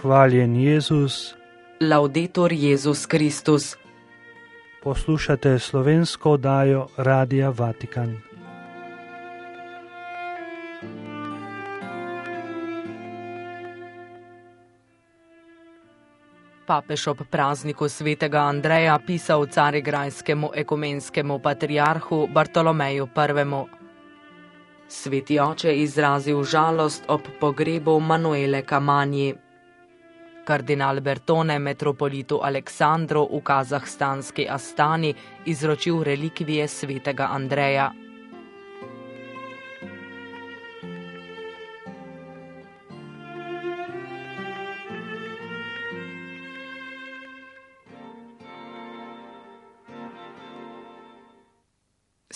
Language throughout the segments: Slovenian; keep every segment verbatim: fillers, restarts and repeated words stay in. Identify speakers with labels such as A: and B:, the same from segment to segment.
A: Hvaljen Jezus.
B: Laudetur Jezus Kristus.
A: Poslušate slovensko oddajo Radia Vatikan.
B: Papež ob prazniku svetega Andreja pisal carigrajskemu ekumenskemu patriarhu Bartolomeju prvemu. Sveti oče izrazil žalost ob pogrebu Manuele Camanji. Kardinal Bertone metropolitu Aleksandru v kazahstanski Astani izročil relikvije svetega Andreja.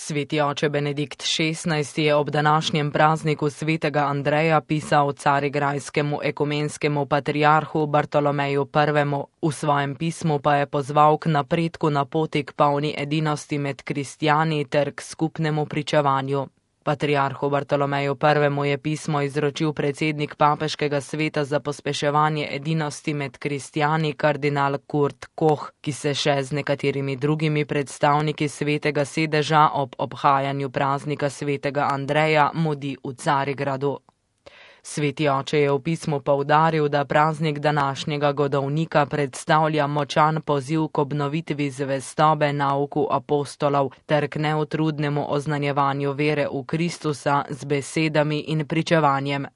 B: Sveti oče Benedikt šestnajsti je ob današnjem prazniku svetega Andreja pisal carigrajskemu ekumenskemu patriarhu Bartolomeju prvemu. V svojem pismu pa je pozval k napredku na poti k polni edinosti med kristjani ter k skupnemu pričevanju. Patriarhu Bartolomeju prvemu je pismo izročil predsednik papeškega sveta za pospeševanje edinosti med kristjani kardinal Kurt Koch, ki se še z nekaterimi drugimi predstavniki svetega sedeža ob obhajanju praznika svetega Andreja mudi v Carigradu. Sveti oče je v pismu poudaril, da praznik današnjega godovnika predstavlja močan poziv k obnovitvi zvestobe nauku apostolov ter k neutrudnemu oznanjevanju vere v Kristusa z besedami in pričevanjem.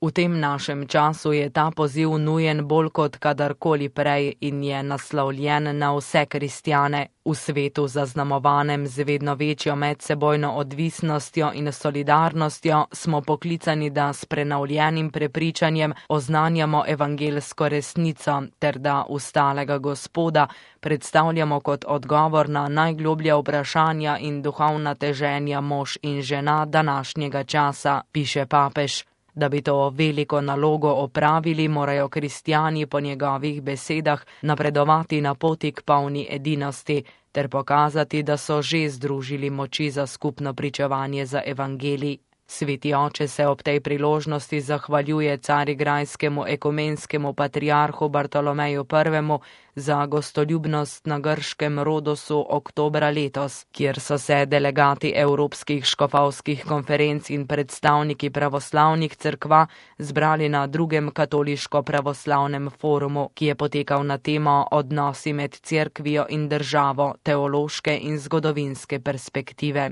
B: V tem našem času je ta poziv nujen bolj kot kadarkoli prej in je naslovljen na vse kristjane. V svetu zaznamovanem z vedno večjo medsebojno odvisnostjo in solidarnostjo smo poklicani, da s prenovljenim prepričanjem oznanjamo evangelsko resnico ter da ustalega Gospoda predstavljamo kot odgovor na najgloblja vprašanja in duhovna teženja mož in žena današnjega časa, piše papež. Da bi to veliko nalogo opravili, morajo kristjani po njegovih besedah napredovati na poti k polni edinosti ter pokazati, da so že združili moči za skupno pričevanje za evangelij. Sveti oče se ob tej priložnosti zahvaljuje carigrajskemu ekumenskemu patriarhu Bartolomeju prvemu za gostoljubnost na grškem Rodosu oktobra letos, kjer so se delegati evropskih škofovskih konferenc in predstavniki pravoslavnih cerkva zbrali na drugem katoliško-pravoslavnem forumu, ki je potekal na temo odnosi med cerkvijo in državo, teološke in zgodovinske perspektive.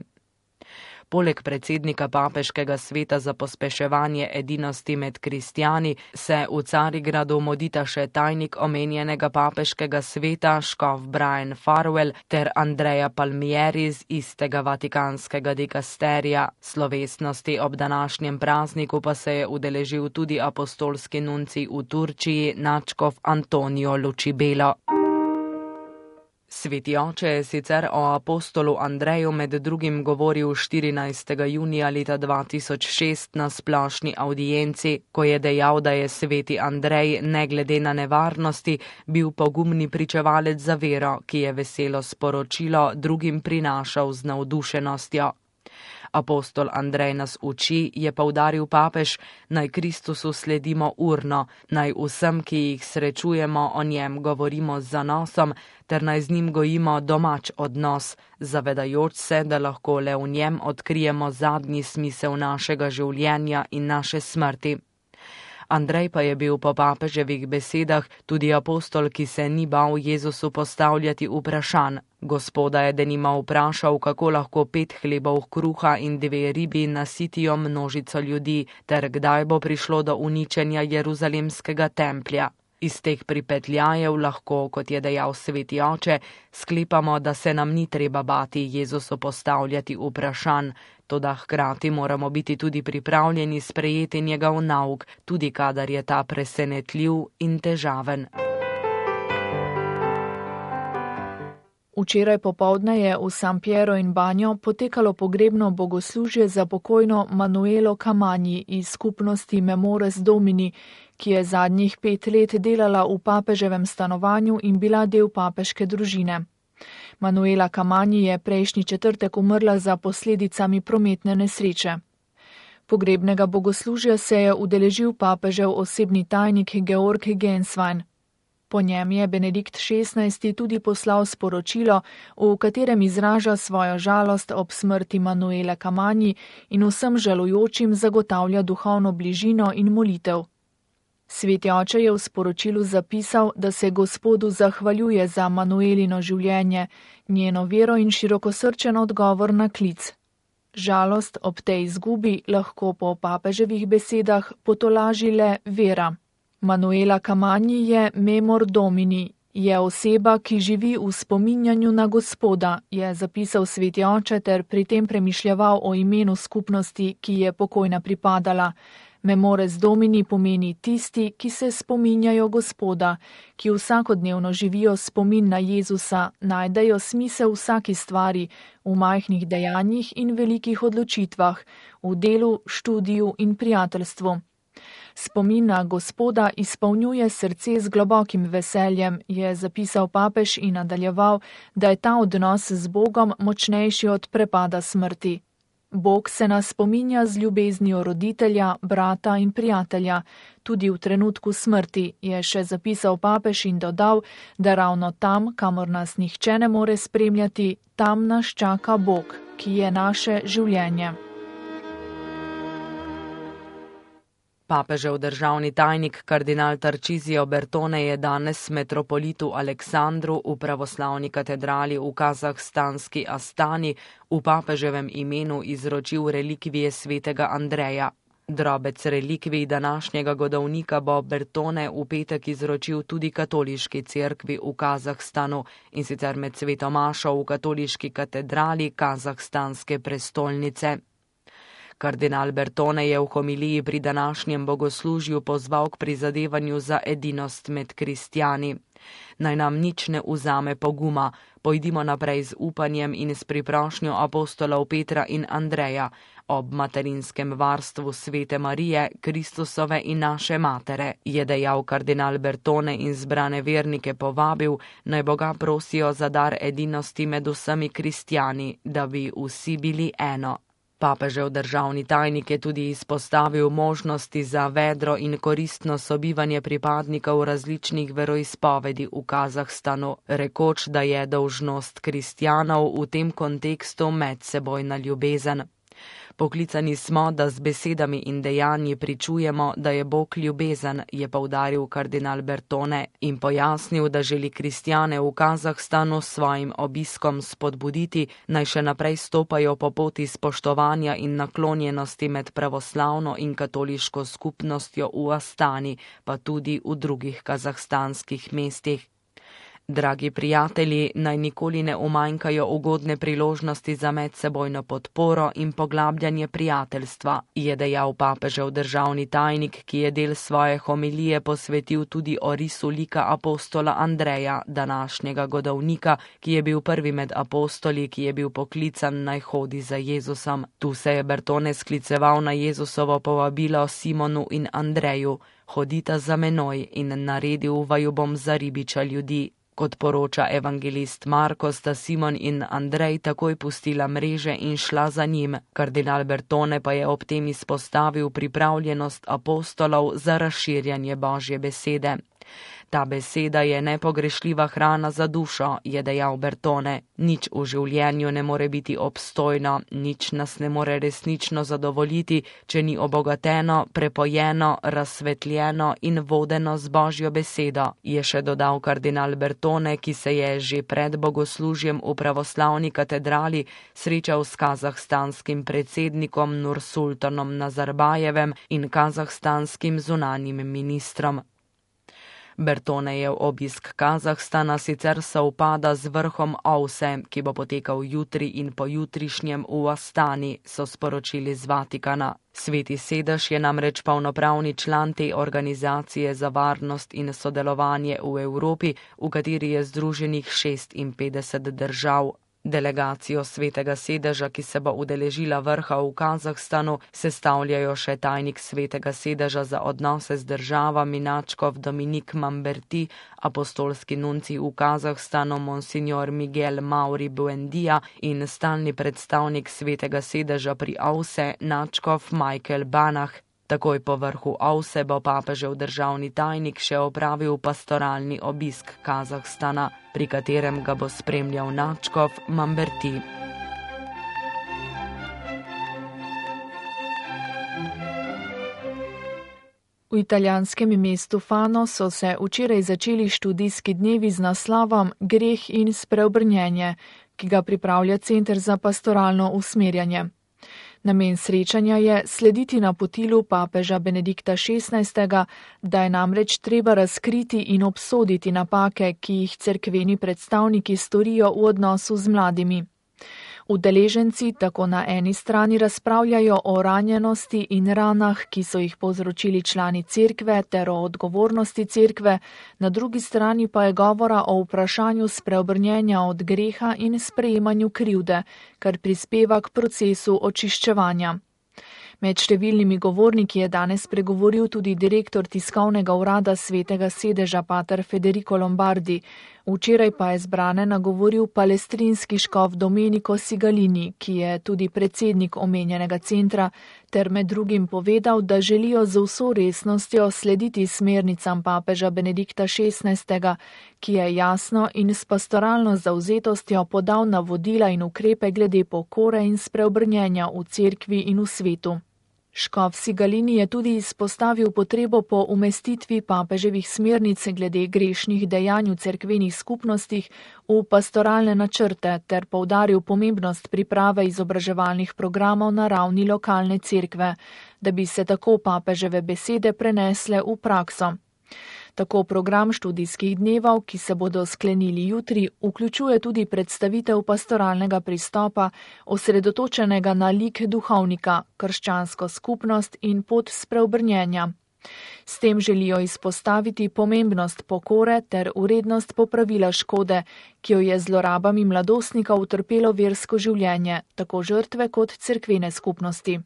B: Poleg predsednika papeškega sveta za pospeševanje edinosti med kristjani se v Carigradu modita še tajnik omenjenega papeškega sveta škof Brian Farwell ter Andrea Palmieri iz istega vatikanskega dikasterija. Slovesnosti ob današnjem prazniku pa se je udeležil tudi apostolski nuncij v Turčiji nadškof Antonio Lucibelo. Sveti oče je sicer o apostolu Andreju med drugim govoril štirinajstega junija leta dva tisoč šest na splošni avdienci, ko je dejal, da je sveti Andrej ne glede na nevarnosti bil pogumni pričevalec za vero, ki je veselo sporočilo drugim prinašal z navdušenostjo. Apostol Andrej nas uči, je poudaril papež, naj Kristusu sledimo urno, naj vsem, ki jih srečujemo, o njem govorimo z zanosom, ter naj z njim gojimo domač odnos, zavedajoč se, da lahko le v njem odkrijemo zadnji smisel našega življenja in naše smrti. Andrej pa je bil po papeževih besedah tudi apostol, ki se ni bal Jezusu postavljati vprašanj. Gospoda je denimo vprašal, kako lahko pet hlebov kruha in dve ribi nasitijo množico ljudi, ter kdaj bo prišlo do uničenja Jeruzalemskega templja. Iz teh pripetljajev lahko, kot je dejal sveti oče, sklepamo, da se nam ni treba bati Jezusu postavljati vprašanj, toda hkrati moramo biti tudi pripravljeni sprejeti njegov nauk, tudi kadar je ta presenetljiv in težaven.
C: Včeraj popoldne je v San Piero in Banjo potekalo pogrebno bogoslužje za pokojno Manuelo Camanji iz skupnosti Memores Domini, ki je zadnjih pet let delala v papeževem stanovanju in bila del papeške družine. Manuela Camanji je prejšnji četrtek umrla za posledicami prometne nesreče. Pogrebnega bogoslužja se je udeležil papežev osebni tajnik Georg Genswein. Po njem je Benedikt šestnajsti tudi poslal sporočilo, v katerem izraža svojo žalost ob smrti Manuele Cammani in vsem žalujočim zagotavlja duhovno bližino in molitev. Sveti oče je v sporočilu zapisal, da se Gospodu zahvaljuje za Manuelino življenje, njeno vero in širokosrčen odgovor na klic. Žalost ob tej izgubi lahko po papeževih besedah potolaži le vera. Manuela Cammani je memor domini, je oseba, ki živi v spominjanju na Gospoda, je zapisal sveti oče ter pri tem premišljeval o imenu skupnosti, ki je pokojna pripadala. Memores domini pomeni tisti, ki se spominjajo Gospoda, ki vsakodnevno živijo spomin na Jezusa, najdejo smisel vsaki stvari, v majhnih dejanjih in velikih odločitvah, v delu, študiju in prijateljstvu. Spomin na Gospoda izpolnjuje srce z globokim veseljem, je zapisal papež in nadaljeval, da je ta odnos z Bogom močnejši od prepada smrti. Bog se nas spominja z ljubeznijo roditelja, brata in prijatelja, tudi v trenutku smrti, je še zapisal papež in dodal, da ravno tam, kamor nas nihče ne more spremljati, tam nas čaka Bog, ki je naše življenje.
B: Papežev državni tajnik kardinal Tarcísio Bertone je danes metropolitu Aleksandru v pravoslavni katedrali v kazahstanski Astani v papeževem imenu izročil relikvije svetega Andreja. Drobec relikvij današnjega godovnika bo Bertone v petek izročil tudi katoliški cerkvi v Kazahstanu, in sicer med sveto mašo v katoliški katedrali kazahstanske prestolnice. Kardinal Bertone je v homiliji pri današnjem bogoslužju pozval k prizadevanju za edinost med kristjani. Naj nam nič ne vzame poguma, pojdimo naprej z upanjem in s priprošnjo apostolov Petra in Andreja, ob materinskem varstvu svete Marije, Kristusove in naše matere, je dejal kardinal Bertone in zbrane vernike povabil, naj Boga prosijo za dar edinosti med vsemi kristjani, da bi vsi bili eno. Papežev državni tajnik je tudi izpostavil možnosti za vedro in koristno sobivanje pripadnikov različnih veroizpovedi v Kazahstanu, rekoč, da je dolžnost kristjanov v tem kontekstu medsebojna ljubezen. Poklicani smo, da z besedami in dejanji pričujemo, da je Bog ljubezen, je poudaril kardinal Bertone in pojasnil, da želi kristjane v Kazahstanu s svojim obiskom spodbuditi, naj še naprej stopajo po poti spoštovanja in naklonjenosti med pravoslavno in katoliško skupnostjo v Astani, pa tudi v drugih kazahstanskih mestih. Dragi prijatelji, naj nikoli ne umanjkajo ugodne priložnosti za medsebojno podporo in poglabljanje prijateljstva, je dejal papežev državni tajnik, ki je del svoje homilije posvetil tudi orisu lika apostola Andreja, današnjega godovnika, ki je bil prvi med apostoli, ki je bil poklican naj hodi za Jezusom. Tu se je Bertone skliceval na Jezusovo povabilo Simonu in Andreju: hodita za menoj in naredil vaju bom za ribiča ljudi. Kot poroča evangelist Marko, sta Simon in Andrej takoj pustila mreže in šla za njim. Kardinal Bertone pa je ob tem izpostavil pripravljenost apostolov za razširjanje Božje besede. Ta beseda je nepogrešljiva hrana za dušo, je dejal Bertone. Nič v življenju ne more biti obstojno, nič nas ne more resnično zadovoljiti, če ni obogateno, prepojeno, razsvetljeno in vodeno z Božjo besedo, je še dodal kardinal Bertone, ki se je že pred bogoslužjem v pravoslavni katedrali srečal s kazahstanskim predsednikom Nursultanom Nazarbajevem in kazahstanskim zunanjim ministrom. Bertonejev obisk Kazahstana sicer sovpada z vrhom O V S E, ki bo potekal jutri in pojutrišnjem v Astani, so sporočili z Vatikana. Sveti sedež je namreč polnopravni član te organizacije za varnost in sodelovanje v Evropi, v kateri je združenih šestinpetdeset držav. Delegacijo Svetega sedeža, ki se bo udeležila vrha v Kazahstanu, sestavljajo še tajnik Svetega sedeža za odnose z državami nadškof Dominik Mamberti, apostolski nuncij v Kazahstanu monsignor Miguel Mauri Buendija in stalni predstavnik Svetega sedeža pri A V S E nadškof Michael Banach. Takoj po vrhu A V S E bo papežev državni tajnik še opravil pastoralni obisk Kazahstana, pri katerem ga bo spremljal nadškof Mamberti.
C: V italijanskem mestu Fano so se včeraj začeli študijski dnevi z naslovom Greh in spreobrnjenje, ki ga pripravlja Center za pastoralno usmerjanje. Namen srečanja je slediti napotilu papeža Benedikta šestnajstega, da je namreč treba razkriti in obsoditi napake, ki jih cerkveni predstavniki storijo v odnosu z mladimi. Udeleženci tako na eni strani razpravljajo o ranjenosti in ranah, ki so jih povzročili člani cerkve, ter o odgovornosti cerkve, na drugi strani pa je govora o vprašanju spreobrnjenja od greha in sprejemanju krivde, kar prispeva k procesu očiščevanja. Med številnimi govorniki je danes pregovoril tudi direktor tiskovnega urada Svetega sedeža pater Federico Lombardi. Včeraj pa je zbrane nagovoril palestrinski škof Domenico Sigalini, ki je tudi predsednik omenjenega centra, ter med drugim povedal, da želijo z vso resnostjo slediti smernicam papeža Benedikta šestnajstega, ki je jasno in s pastoralno zavzetostjo podal navodila in ukrepe glede pokore in spreobrnjenja v cerkvi in v svetu. Škof Sigalini je tudi izpostavil potrebo po umestitvi papeževih smernic glede grešnih dejanj v cerkvenih skupnostih v pastoralne načrte ter poudaril pomembnost priprave izobraževalnih programov na ravni lokalne cerkve, da bi se tako papeževe besede prenesle v prakso. Tako program študijskih dnevov, ki se bodo sklenili jutri, vključuje tudi predstavitev pastoralnega pristopa, osredotočenega na lik duhovnika, krščansko skupnost in pot spreobrnjenja. S tem želijo izpostaviti pomembnost pokore ter urednost popravila škode, ki jo je zlorabami mladostnika utrpelo versko življenje, tako žrtve kot cerkvene skupnosti.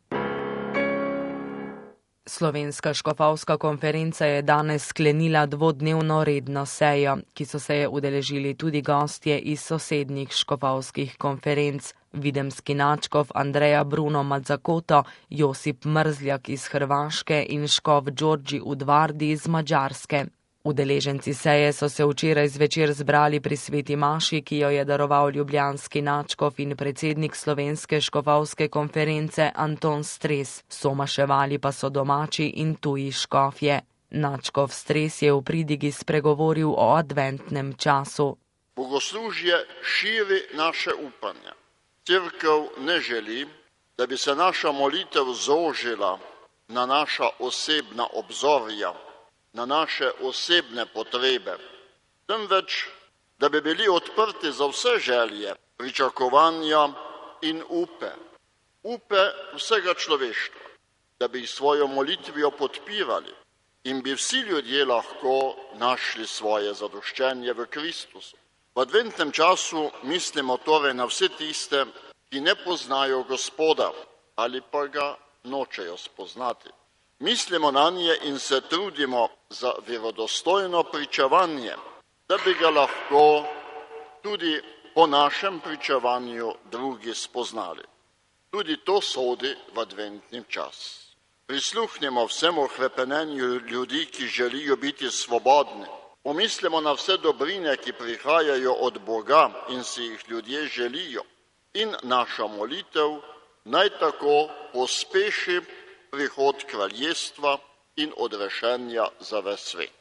B: Slovenska škofovska konferenca je danes sklenila dvodnevno redno sejo, ki so se je udeležili tudi gostje iz sosednjih škofovskih konferenc, videmski nadškof Andreja Bruno Mazzakoto, Josip Mrzljak iz Hrvaške in škof Đorđi Udvardi iz Mađarske. Udeleženci seje so se včeraj zvečer zbrali pri sveti maši, ki jo je daroval ljubljanski nadškof in predsednik Slovenske škofovske konference Anton Stres. Somaševali pa so domači in tuji škofje. Nadškof Stres je v pridigi spregovoril o adventnem času.
D: Bogoslužje širi naše upanje. Cerkev ne želi, da bi se naša molitev zožila na naša osebna obzorja, na naše osebne potrebe, temveč, da bi bili odprti za vse želje, pričakovanja in upe, upe vsega človeštva, da bi jih svojo molitvijo podpirali in bi vsi ljudje lahko našli svoje zadoščenje v Kristusu. V adventnem času mislimo torej na vse tiste, ki ne poznajo Gospoda ali pa ga nočejo spoznati. Mislimo na nje in se trudimo za verodostojno pričevanje, da bi ga lahko tudi po našem pričevanju drugi spoznali. Tudi to sodi v adventni čas. Prisluhnimo vsemu hrepenenju ljudi, ki želijo biti svobodni. Pomislimo na vse dobrine, ki prihajajo od Boga in si jih ljudje želijo. In naša molitev naj tako pospeši prihod kraljestva in odrešenja za ves svet.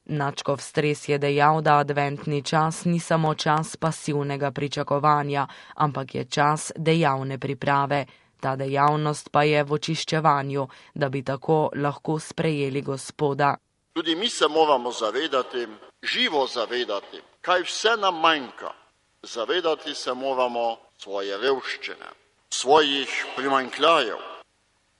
B: Nadškof Stres je dejal, da adventni čas ni samo čas pasivnega pričakovanja, ampak je čas dejavne priprave. Ta dejavnost pa je v očiščevanju, da bi tako lahko sprejeli Gospoda.
D: Tudi mi se moramo zavedati, živo zavedati, kaj vse nam manjka. Zavedati se moramo svoje revščine, svojih primanjkljajev.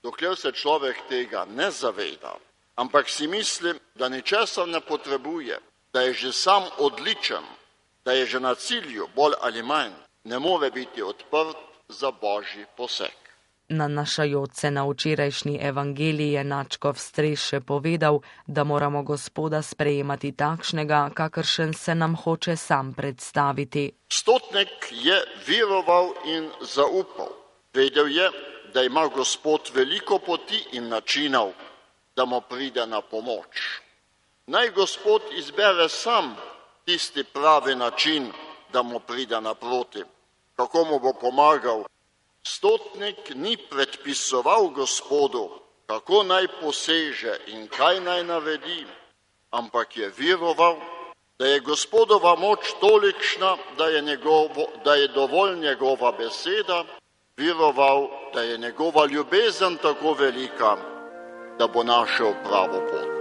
D: Dokler se človek tega ne zaveda, ampak si misli, da ničesar ne potrebuje, da je že sam odličen, da je že na cilju bolj ali manj, ne more biti odprt za božji poseg.
B: Nanašajoč se na včerajšnji evangelij je nadškof Streš povedal, da moramo Gospoda sprejemati takšnega, kakršen se nam hoče sam predstaviti.
D: Stotnik je veroval in zaupal. Vedel je, da ima Gospod veliko poti in načinov, da mu pride na pomoč. Naj Gospod izbere sam tisti pravi način, da mu pride naproti. Kako mu bo pomagal? Stotnik ni predpisoval Gospodu, kako naj poseže in kaj naj naredi, ampak je veroval, da je Gospodova moč tolikšna, da je, njegovo, da je dovolj njegova beseda, veroval, da je njegova ljubezen tako velika, da bo našel pravo pot.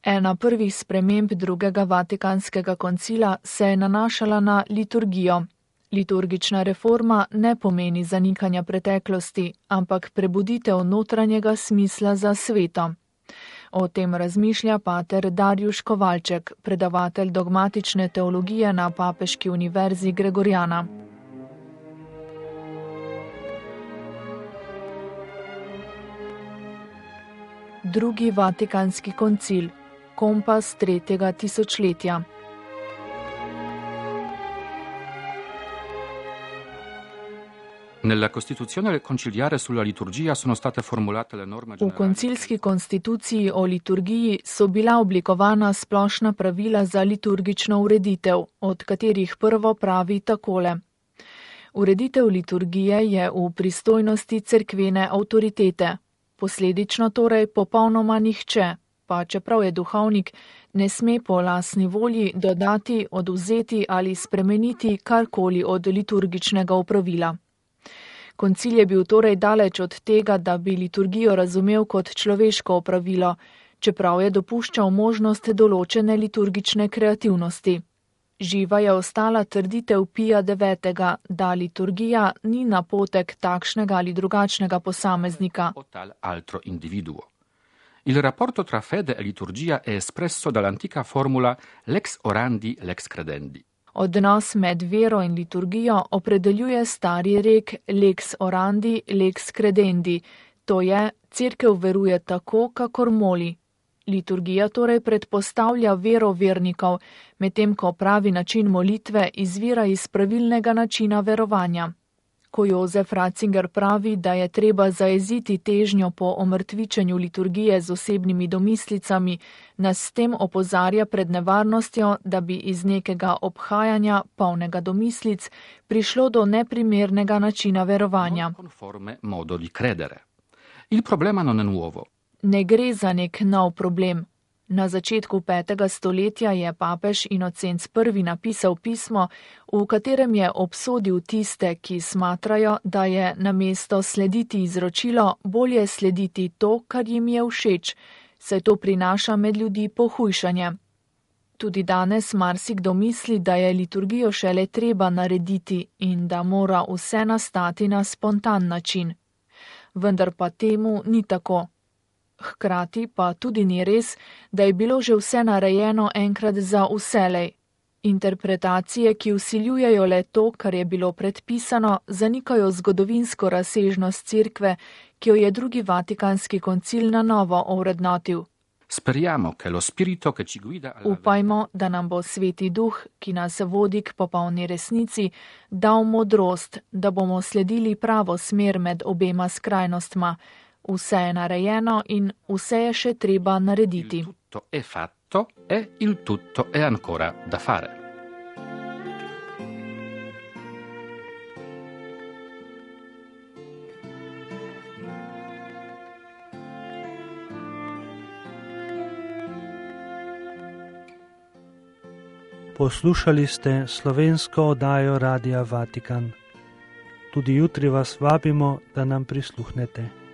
C: Ena prvih sprememb drugega Vatikanskega koncila se je nanašala na liturgijo. Liturgična reforma ne pomeni zanikanja preteklosti, ampak prebuditev notranjega smisla za sveto. O tem razmišlja pater Darjuš Kovalček, predavatelj dogmatične teologije na Papeški univerzi Gregoriana. Drugi Vatikanski koncil. Kompas tretjega tisočletja.
E: Nella Costituzione conciliare sulla liturgia sono state formulate le norme
C: generali. V koncilski konstituciji o liturgiji so bila oblikovana splošna pravila za liturgično ureditev, od katerih prvo pravi takole. Ureditev liturgije je v pristojnosti cerkvene avtoritete, posledično torej popolnoma nihče, pa čeprav je duhovnik, ne sme po lastni volji dodati, odvzeti ali spremeniti karkoli od liturgičnega opravila. Koncil je bil torej daleč od tega, da bi liturgijo razumel kot človeško opravilo, čeprav je dopuščal možnost določene liturgične kreativnosti. Živa je ostala trditev Pija devetega, da liturgija ni napotek takšnega ali drugačnega posameznika.
E: Il rapporto tra fede e liturgia è espresso dall'antica formula lex orandi, lex credendi.
C: Odnos med vero in liturgijo opredeljuje stari rek lex orandi, lex credendi, to je, cerkev veruje tako, kakor moli. Liturgija torej predpostavlja vero vernikov, medtem ko pravi način molitve izvira iz pravilnega načina verovanja. Ko Jozef Ratzinger pravi, da je treba zajeziti težnjo po omrtvičenju liturgije z osebnimi domislicami, nas s tem opozarja pred nevarnostjo, da bi iz nekega obhajanja, polnega domislic, prišlo do neprimernega načina verovanja.
E: Il problema non è nuovo.
C: Ne gre za nek nov problem. Na začetku petega stoletja je papež Inocenc prvi napisal pismo, v katerem je obsodil tiste, ki smatrajo, da je namesto slediti izročilo bolje slediti to, kar jim je všeč, saj to prinaša med ljudi pohujšanje. Tudi danes marsikdo misli, da je liturgijo šele treba narediti in da mora vse nastati na spontan način. Vendar pa temu ni tako. Hkrati pa tudi ni res, da je bilo že vse narejeno enkrat za vselej. Interpretacije, ki vsiljujejo le to, kar je bilo predpisano, zanikajo zgodovinsko razsežnost cerkve, ki jo je drugi Vatikanski koncil na novo ovrednotil.
E: Speriamo che lo spirito che ci guida alla...
C: Upajmo, da nam bo Sveti Duh, ki nas vodi k popolni resnici, dal modrost, da bomo sledili pravo smer med obema skrajnostma. Vse je narejeno in vse je še treba narediti.
E: Il tutto è fatto e il tutto è ancora da fare.
A: Poslušali ste slovensko oddajo Radia Vatikan. Tudi jutri vas vabimo, da nam prisluhnete.